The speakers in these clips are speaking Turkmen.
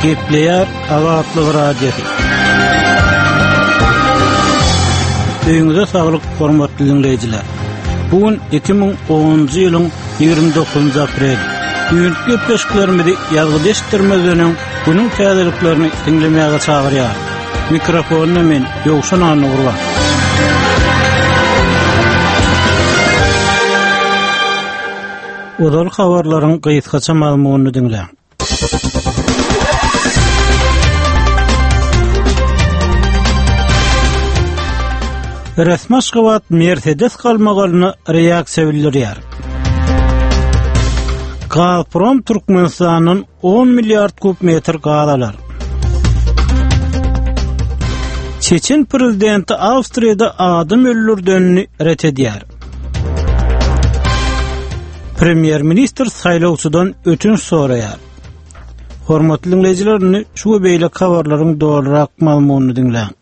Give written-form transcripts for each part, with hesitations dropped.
Gepleýär Azatlyk Radiosy. Öýüňize saglyk, hormatly diňleýjiler. Bu gün 2010-njy ýylyň 29-njy apreli. Düýnki gepleşiklerimizi ýazgyda eşitdirmezden öň, günüň täzeliklerini diňlemäge çagyrýarys. Mikrofonda men, Ýowşan Annagurban. Ozal habarlaryň gysgaça mazmunyny diňläň. Resmi Aşgabat Mersedes galmagalyna reaksiýa bildirýär. Gazprom Türkmenistandan 10 milliard kub metr gaz alar. Çeçen prezidenti Awstriýada adam öldürdenini ret edýär. Premýer-ministr saýlawçydan ötünç soraýar. Hormatly diňleýjiler, indi şu we beýleki habarlaryň dolurak mazmunyny diňläň.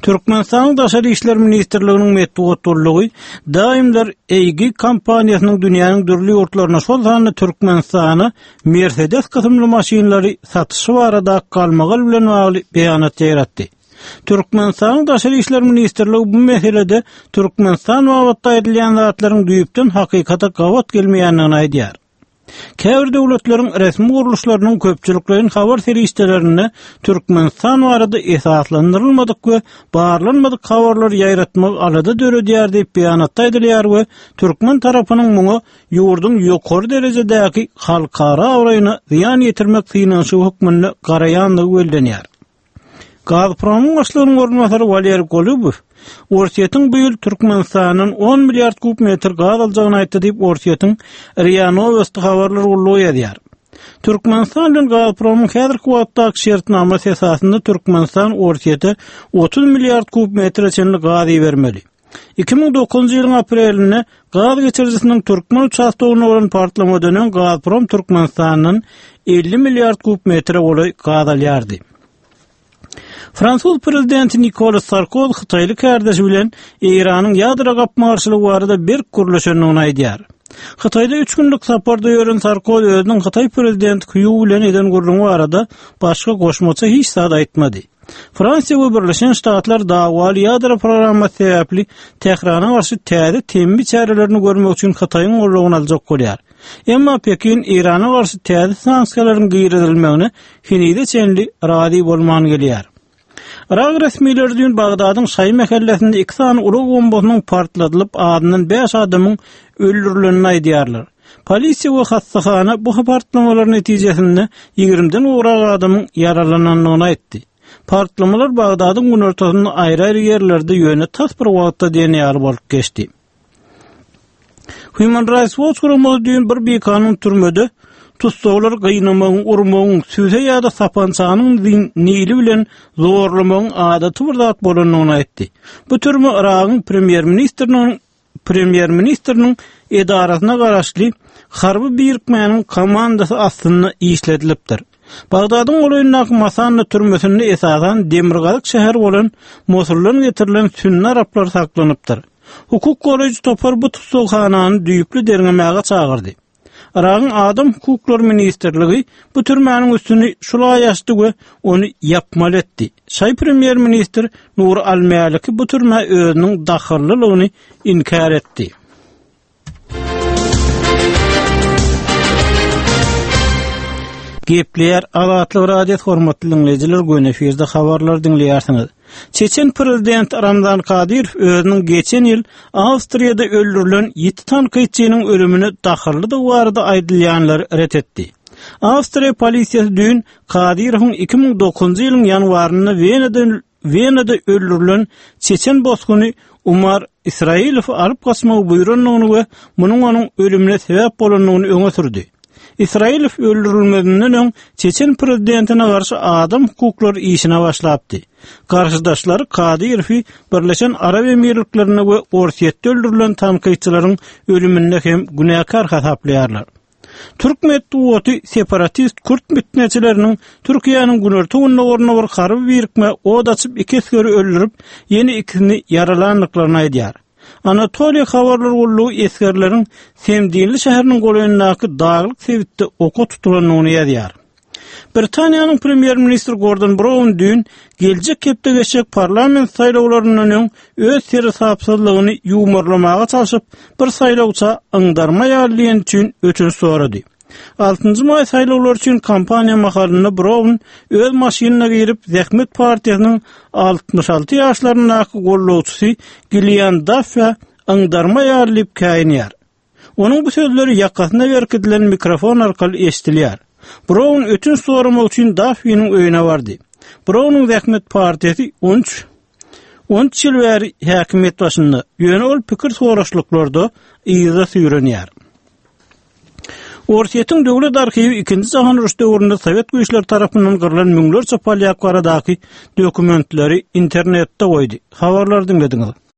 Türkmenistanyň Daşary işler ministrliginiň metbugat gullugy Daimler AG kompaniýasynyň dünýäniň dürli ýurtlaryna, şol sanda Türkmenistana Mercedes kysymly maşynlary satyşy barada galmagal bilen bagly beýanat ýaýratdy. Türkmenistanyň Daşary işler ministrligi bu meselede Türkmenistan babatda aýdylýan zatlaryň düýpden hakykata gabat gelmeýändigini aýdýar. Käbir döwletleriň resmi gurluşlarynyň köpçülikleýin habar serişdelerinde Türkmenistan barada esaslandyrylmadyk we barlanmadyk habarlary ýaýratmagy alada döredýär diýip beýanatda aýdylýar we türkmen tarapynyň muňa ýurduň ýokary derejedäki halkara abraýyna zyýan ýetirmek synanyşygy hökmünde garaýandygy bellenýär. Gazpromyň başlygynyň orunbasary Waleriý Golubow Orsýetiň bu ýyl Türkmenistandan on milliard kub metr gaz aljagyny aýtdy diýip, Orsýetiň RIA Nowosti habarlar gullugy ýazýar. Türkmenistan bilen Gazpromyň häzirki wagtdaky şertnamasy esasynda Türkmenistan Orsýete 30 milliard kub metre çenli gaz ibermeli. 2009-njy ýylyň aprelinde gaz geçirijisiniň türkmen uçastogynda bolan partlamadan öň Gazprom Türkmenistandan 50 milliard kub metre golaý gaz alýardy. Fransuz prezidenti Nikolas Sarkoz hytaýly kärdeşi bilen Eýranyň ýadro gapma-garşylygy barada berk gürleşendigini aýdýar. Hytaýda üç günlük saparda ýören Sarkoz özüniň hytaý prezidenti Hýu bilen eden gürrüňi barada başga goşmaça hiç zat aýtmady. Fransiýa we Birleşen Ştatlar dawaly ýadro programmasy sebäpli Tährana garşy täze temmi çärelerini görmek üçin Hytaýyň goldawyny aljak bolýar. Emma Pekin Eýrana garşy täze sanksiýalaryň girizilmegine henize çenli razy bolman gelýär. Yrak resmileri düýn Bagdadyň şaýy mähellesinde iki sany ulag bombasynyň partladylyp, azyndan bäş adamyň öldürilenini aýdýarlar. Polisiýa we hassahana bu partlamalar netijesinde ýigrimiden gowrak adamyň ýaralanandygyny aýtdy. Partlamalar Bagdadyň günortasynda aýry-aýry ýerlerde ýöne tas bir wagtda diýen ýaly bolup geçdi. Human Rights Watch guramasy düýn bir bikanun türmede tussaglary gynamagyň, urmagyň, süse ýa-da sapançanyň nili bilen zorlamagyň adaty bir zat bolandygyny aýtdy. Bu türme Yragyň premýer-ministriniň premýer-ministriniň edarasyna garaşly harby birikmäniň komandasy astynda işledilipdir. Bagdadyň golaýyndaky Masanna türmesinde esasan demirgazyk şäher bolan Mosuldan getirilen sünni araplar saklanypdyr. Hukuk goraýjy topar bu tussaghanany düýpli derňemäge çagyrdy. Yragyň Adam hukuklary ministrligi bu türmäniň üstüni şul aý açdy we ony ýapmaly etdi. Şaýy premýer-ministr Nuri al-Mäliki bu türmä özüniň dahyllylygyny inkär etdi. Gepleýär Azatlyk Radiosy hormatly diňleýjiler göni efirde habarlary diňleýärsiňiz. Çeçen prezidenti Ramzan Kadyrow özüniň geçen ýyl Awstriýada öldürilen ýiti tankytçynyň ölümine dahyllydygy barada aýdylýanlary ret etdi. Awstriýa polisiýasy düýn Kadyrowyň 2009-njy ýylyň ýanwarynda Wenada Wenada öldürilen çeçen bosguny Umar Israilowy alyp gaçmagy buýrandygyny we munuň onuň ölümine sebäp bolandygyny öňe sürdi. Israilow öldürilmezinden öň çeçen prezidentine garşy adam hukuklary işine başlapdy. Garşydaşlary Kadyrowy Birleşen Arap Emirliklerinde we Orsýetde öldürilen tankytçylaryň ölüminde hem günäkär hasaplaýarlar. Türk metbugaty separatist kürt pitneçileriniň Türkiýäniň günorta-gündogarynda bir harby birikmä od açyp iki esgeri öldürip, ýene ikisini ýaralandyklaryny aýdýar. Anatoliýa habarlar gullugy esgerleriň Semdinli şäheriniň golaýyndaky daglyk sebitde oka tutulandygyny ýazýar. Britaniýanyň premýer-ministri Gordon Brown düýn geljek hepde geçjek parlament saýlawlaryndan öň öz seresapsyzlygyny ýuwmarlamaga çalşyp, bir saýlawça yňdarma ýaly diýeni üçin ötünç sorady. Altynjy maý saýlawlary üçin kampaniýa mahalynda Brown öz maşynyna girip, Zähmet partiýasynyň 66 ýaşlaryndaky gollawçysy Gillian Daffä yňdarma ýaly diýip käýinýär. Onuň bu sözleri ýakasyna berkidilen mikrofon arkaly eşidilýär. Brown ötünç soramak üçin Daffiniň öýüne bardy. Brownyň Zähmet partiýasy 13 13 ýyl bäri häkimiýet başynda, ýöne ol pikir soraşlyklarda yza süýrenýär. Orsýetiň döwlet arhiwi Ikinji jahan urşy döwründe sowet güýçleri tarapyndan gyrlan müňlerçe polýak baradaky dokumentleri internetde goýdy. Habarlary diňlediňiz.